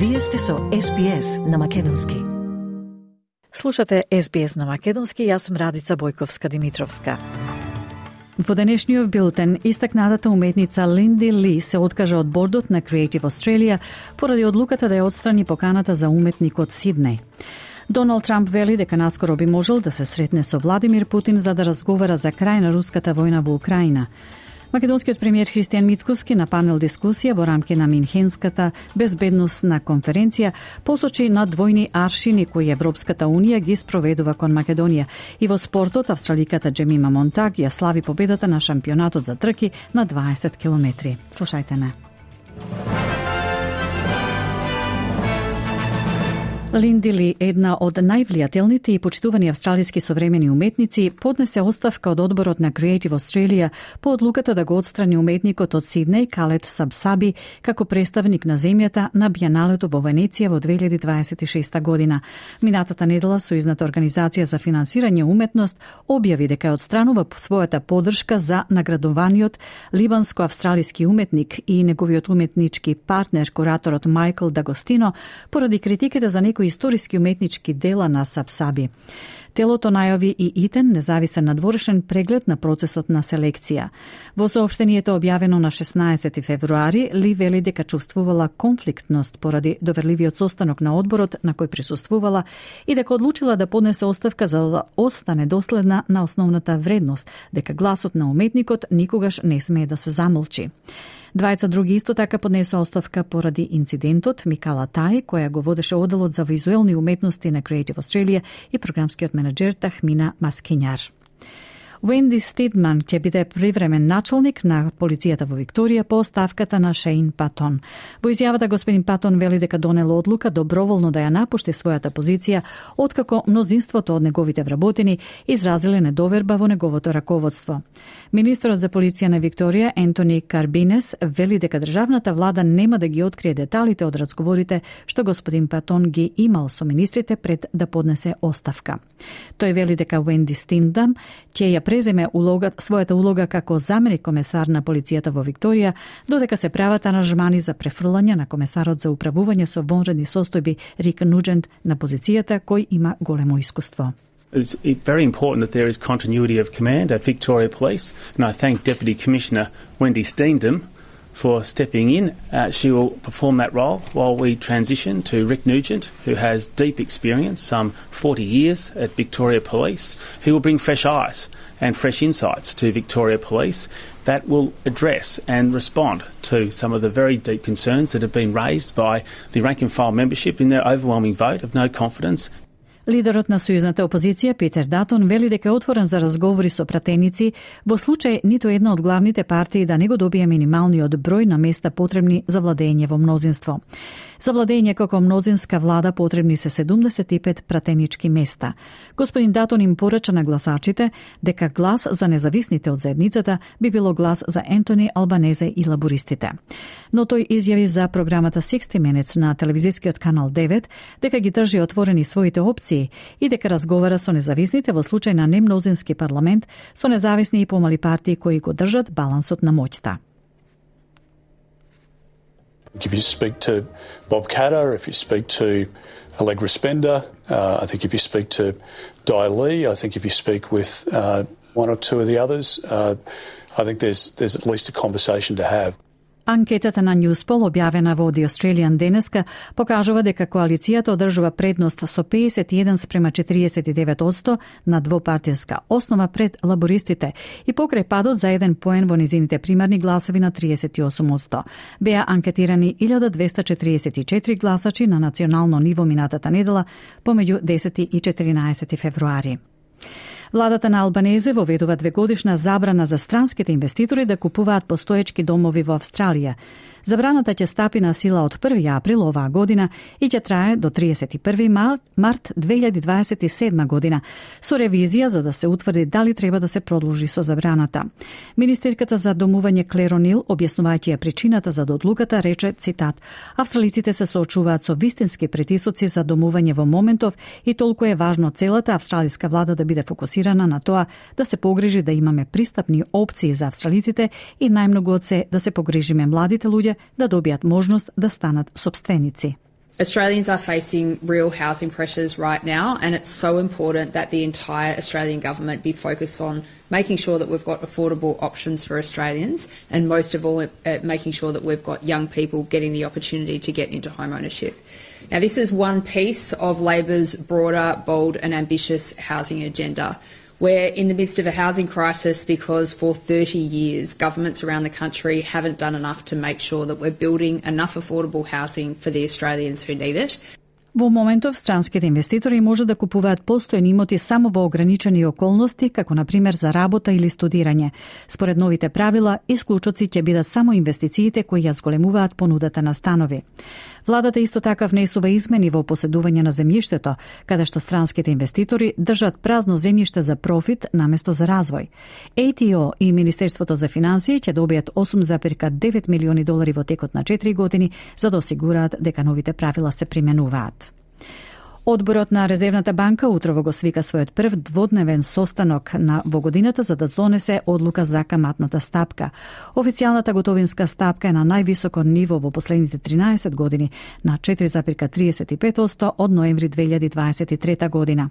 Вие сте со SBS на Македонски. Слушате SBS на Македонски, јас сум Радица Бојковска-Димитровска. Во денешниот билтен, истакнатата уметница Линди Ли се откажа од бордот на Creative Australia поради одлуката да ја отстрани поканата за уметник од Сиднеј. Доналд Трамп вели дека наскоро би можел да се сретне со Владимир Путин за да разговара за крај на руската војна во Украина. Македонскиот премиер Христијан Мицкоски на панел дискусија во рамки на Минхенската безбедносна конференција посочи на двојни аршини кои Европската Унија ги спроведува кон Македонија. И во спортот, австраликата Джемима Монтаг ја слави победата на шампионатот за трки на 20 километри. Слушајте не. Линди Ли, една од највлијателните и почитувани австралиски современи уметници, поднесе оставка од одборот на Creative Australia по одлуката да го отстрани уметникот од Сиднеј, Калет Сабсаби, како представник на земјата на Биеналето во Венеција во 2026 година. Минатата недела Сојузната организација за финансирање уметност објави дека ја отстранува својата поддршка за наградуваниот либанско-австралиски уметник и неговиот уметнички партнер, кураторот Мајкл Дагостино, поради критиките за некои историски уметнички дела на Сабсаби. Телото најави и итен независен надворешен преглед на процесот на селекција. Во соопштението објавено на 16 февруари, Ли вели дека чувствувала конфликтност поради доверливиот состанок на одборот на кој присуствувала и дека одлучила да поднесе оставка за да остане доследна на основната вредност, дека гласот на уметникот никогаш не смее да се замолчи. Двајца други исто така поднесоа оставка поради инцидентот. Микала Тај, која го водеше оделот за визуелни уметности на Creative Australia, и програмскиот менеджер Тахмина Маскињар. Венди Стидман ќе биде привремен началник на полицијата во Викторија по оставката на Шейн Патон. Во изјавата господин Патон вели дека донел одлука доброволно да ја напушти својата позиција, откако мнозинството од неговите вработени изразиле недоверба во неговото раководство. Министерот за полиција на Викторија Ентони Карбинес вели дека државната влада нема да ги открие деталите од разговорите што господин Патон ги имал со министрите пред да поднесе оставка. Тој вели дека Венди Стидман ќе ја преземе својата улога како заменик комесар на полицијата во Викторија, додека се прават аранжмани за префрлање на комесарот за управување со вонредни состојби Рик Нуџент на позицијата кој има големо искуство. It's very important that there is continuity of command at Victoria Police, and I thank Deputy Commissioner Wendy Steendam for stepping in. She will perform that role while we transition to Rick Nugent, who has deep experience, some 40 years at Victoria Police. He will bring fresh eyes and fresh insights to Victoria Police that will address and respond to some of the very deep concerns that have been raised by the rank and file membership in their overwhelming vote of no confidence. Лидерот на сојузната опозиција Питер Датон вели дека е отворен за разговори со пратеници во случај ниту една од главните партии да не го добие минималниот број на места потребни за владење во мнозинство. За владење како мнозинска влада потребни се 75 пратенички места. Господин Датон им порача на гласачите дека глас за независните од заедницата би било глас за Ентони Албанезе и лабористите. Но тој изјави за програмата 60 Minutes на телевизискиот канал 9 дека ги држи отворени своите опции и дека разговара со независните во случај на немнозински парламент, со независни и помали партии кои го држат балансот на моќта. If you speak to Bob Katter, if you speak to Allegra Spender, I think if you speak to Di Lee, I think if you speak with one or two of the others, I think there's at least a conversation to have. Анкетата на Newspol, објавена во The Australian денеска, покажува дека коалицијата одржува предност со 51:49% на двопартијска основа пред лабористите и покрај падот за 1 поен во низините примарни гласови на 38%. Беа анкетирани 1244 гласачи на национално ниво минатата недела помеѓу 10 и 14 февруари. Владата на Албанезе воведува 2-годишна забрана за странските инвеститори да купуваат постоечки домови во Австралија. Забраната ќе стапи на сила од 1 април оваа година и ќе трае до 31 март 2027 година, со ревизија за да се утврди дали треба да се продолжи со забраната. Министерката за домување Клер О'Нил, објаснувајќи ја причината за одлуката, рече, цитат: "Австралиците се соочуваат со вистински притисоци за домување во моментов и толку е важно целата австралиска влада да биде фокусирана на тоа да се погрижи да имаме пристапни опции за австралиците и најмногу од се да се погрижиме младите луѓе да добијат можност да станат сопственици." Australians are facing real housing pressures right now, and it's so important that the entire Australian government be focused on making sure that we've got affordable options for Australians, and most of all, making sure that we've got young people getting the opportunity to get into home ownership. Now, this is one piece of Labor's broader, bold and ambitious housing agenda. We're in the midst of a housing crisis because for 30 years, governments around the country haven't done enough to make sure that we're building enough affordable housing for the Australians who need it. Во моментов, странските инвеститори може да купуваат постојни имоти само во ограничени околности, како на пример за работа или студирање. Според новите правила, исклучоци ќе бидат само инвестициите кои ја зголемуваат понудата на станови. Владата исто така внесува измени во поседување на земјиштето, каде што странските инвеститори држат празно земјиште за профит наместо за развој. ATO и Министерството за финансии ќе добијат $8,9 милиони во текот на 4 години за да осигураат дека новите правила се применуваат. Одборот на Резервната банка утрово го свика својот прв дводневен состанок во годината за да донесе одлука за каматната стапка. Официјалната готовинска стапка е на највисоко ниво во последните 13 години, на 4,35% од ноември 2023 година.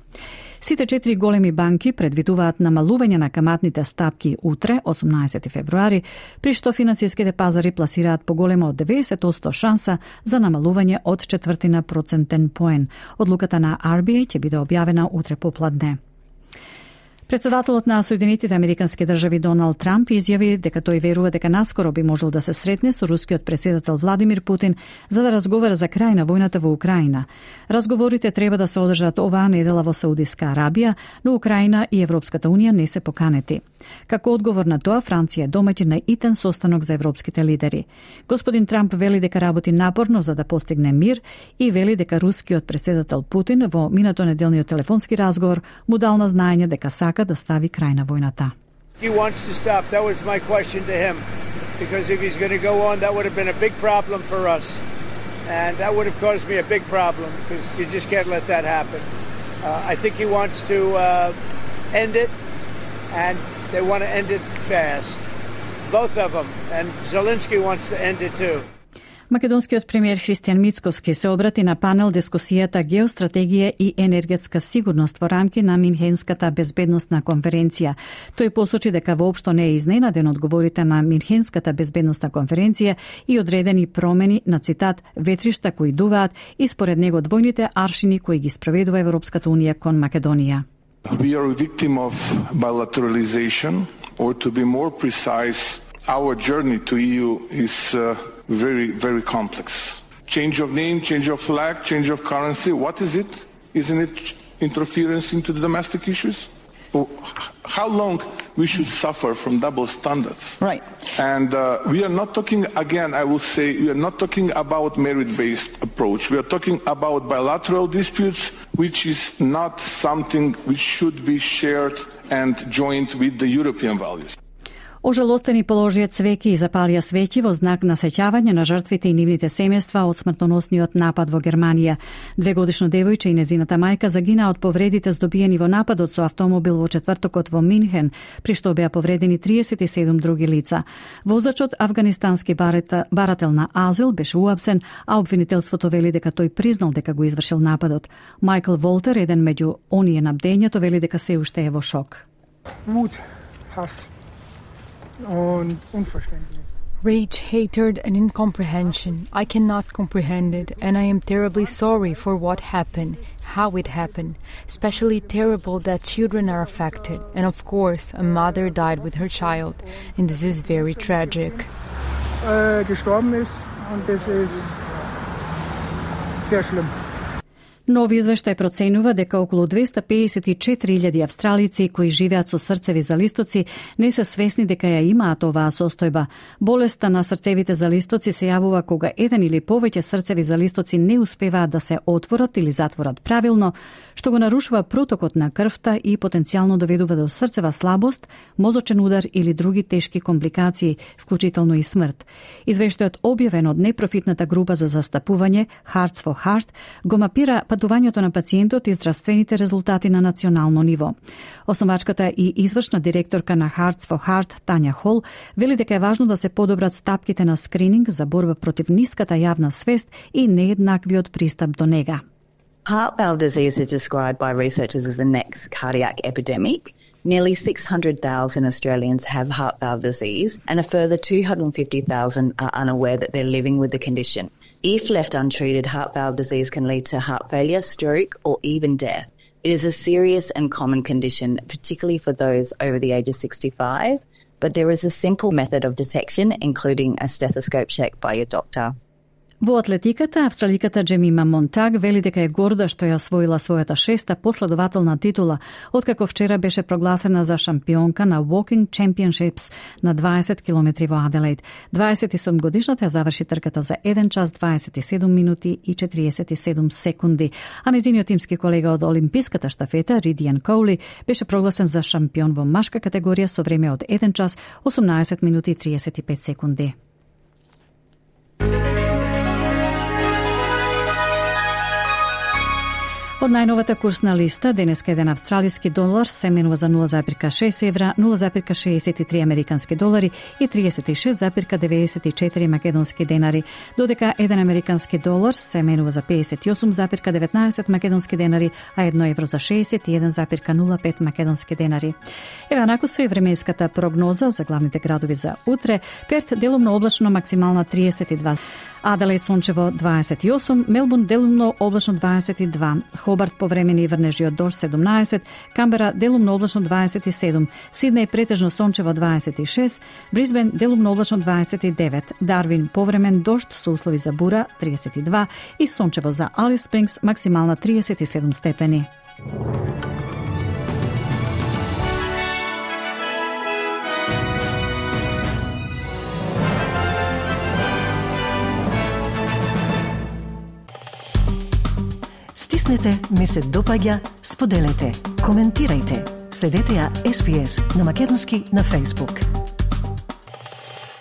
Сите 4 големи банки предвидуваат намалување на каматните стапки утре, 18 февруари, при што финансиските пазари пласираат поголема од 90% шанса за намалување од 1/4 процентен поен. Одлуката на RBA ќе биде објавена утре попладне. Председателот на Соединетите Американски држави Доналд Трамп изјави дека тој верува дека наскоро би можел да се сретне со рускиот претседател Владимир Путин за да разговара за крај на војната во Украина. Разговорите треба да се одржат оваа недела во Саудиска Арабија, но Украина и Европската унија не се поканети. Како одговор на тоа, Франција е домаќин на итен состанок за европските лидери. Господин Трамп вели дека работи напорно за да постигне мир и вели дека рускиот претседател Путин во минато неделниот телефонски разговор му дал на знаење дека сака да стави крај на војната. He wants to stop. That was my question to him. Because if he's going to go on, that would have been a big problem for us. And that would have caused me a big problem because you just can't let that happen. I think he wants to end it, and they want to end it fast. Both of them. And Zelensky wants to end it too. Македонскиот премиер Христијан Мицкоски се обрати на панел дискусијата Геостратегија и енергетска сигурност во рамки на Минхенската безбедносна конференција. Тој посочи дека воопшто не е изненаден од говорите на Минхенската безбедносна конференција и одредени промени на цитат ветришта кои дуваат и според него двојните аршини кои ги спроведува Европската унија кон Македонија. We are a victim of bilateralization, or to be more precise, our journey to EU is very, very complex. Change of name, change of flag, change of currency, what is it? Isn't it interference into the domestic issues? How long we should suffer from double standards? Right. And we are not talking, again, I will say, we are not talking about merit-based approach. We are talking about bilateral disputes, which is not something which should be shared and joined with the European values. Ожалостени положија цвеки и запалија свеќи во знак на сеќавање на жртвите и нивните семејства од смртоносниот напад во Германија. 2-годишно девојче и незината мајка загинаа од повредите здобиени во нападот со автомобил во четвртокот во Минхен, при што беа повредени 37 други лица. Возачот, афганистански барател на азил, беше уапсен, а обвинителството вели дека тој признал дека го извршил нападот. Майкл Волтер, еден меѓу оние на бдењето, вели дека се уште е во шок. Rage, hatred, and incomprehension. I cannot comprehend it, and I am terribly sorry for what happened, how it happened. Especially terrible that children are affected, and of course, a mother died with her child, and this is very tragic. Gestorben ist, und das ist sehr schlimm. Нови извештај проценува дека околу 254.000 австралици кои живеат со срцеви залистоци не се свесни дека ја имаат оваа состојба. Болеста на срцевите залистоци се јавува кога еден или повеќе срцеви залистоци не успеваат да се отворат или затворат правилно, што го нарушува протокот на крвта и потенцијално доведува до срцева слабост, мозочен удар или други тешки компликации, вклучително и смрт. Извештајот објавен од непрофитната група за застапување Hearts for Heart го мапира патувањето на пациентот и здравствените резултати на национално ниво. Основачката и извршна директорка на Hearts for Heart, Тања Хол, вели дека е важно да се подобрат стапките на скрининг за борба против ниската јавна свест и нееднаквиот пристап до нега. Heart valve disease is described by researchers as the next cardiac epidemic. Nearly 600,000 Australians have heart valve disease, and a further 250,000 are unaware that they're living with the condition. If left untreated, heart valve disease can lead to heart failure, stroke, or even death. It is a serious and common condition, particularly for those over the age of 65, but there is a simple method of detection, including a stethoscope check by your doctor. Во атлетиката, австраликата Джемима Монтаг вели дека е горда што ја освоила својата 6-та последователна титула, откако вчера беше прогласена за шампионка на Walking Championships на 20 километри во Аделаид. 27-годишната ја заврши трката за 1 час 27 минути и 47 секунди, а нејзиниот тимски колега од олимписката штафета Ридиан Коули беше прогласен за шампион во машка категорија со време од 1 час 18 минути и 35 секунди. Од најновата курсна листа, денеска еден австралиски долар се менува за 0,6 евра, 0,63 американски долари и 36,94 македонски денари, додека еден американски долар се менува за 58,19 македонски денари, а 1 евро за 61,05 македонски денари. Еве онаку со и временската прогноза за главните градови за утре. Перт делумно облачно, максимална 32. Аделаид сончево 28, Мелбурн делумно облачно 22, Хобарт повремени врнежи од дожд 17, Камбера делумно облачно 27, Сиднеј претежно сончево 26, Брисбен делумно облачно 29, Дарвин повремен дожд со услови за бура 32 и сончево за Алис Спрингс максимална 37 степени. Стиснете, ми се допаѓа, споделете, коментирајте. Следете ја SPS на Македонски на Facebook.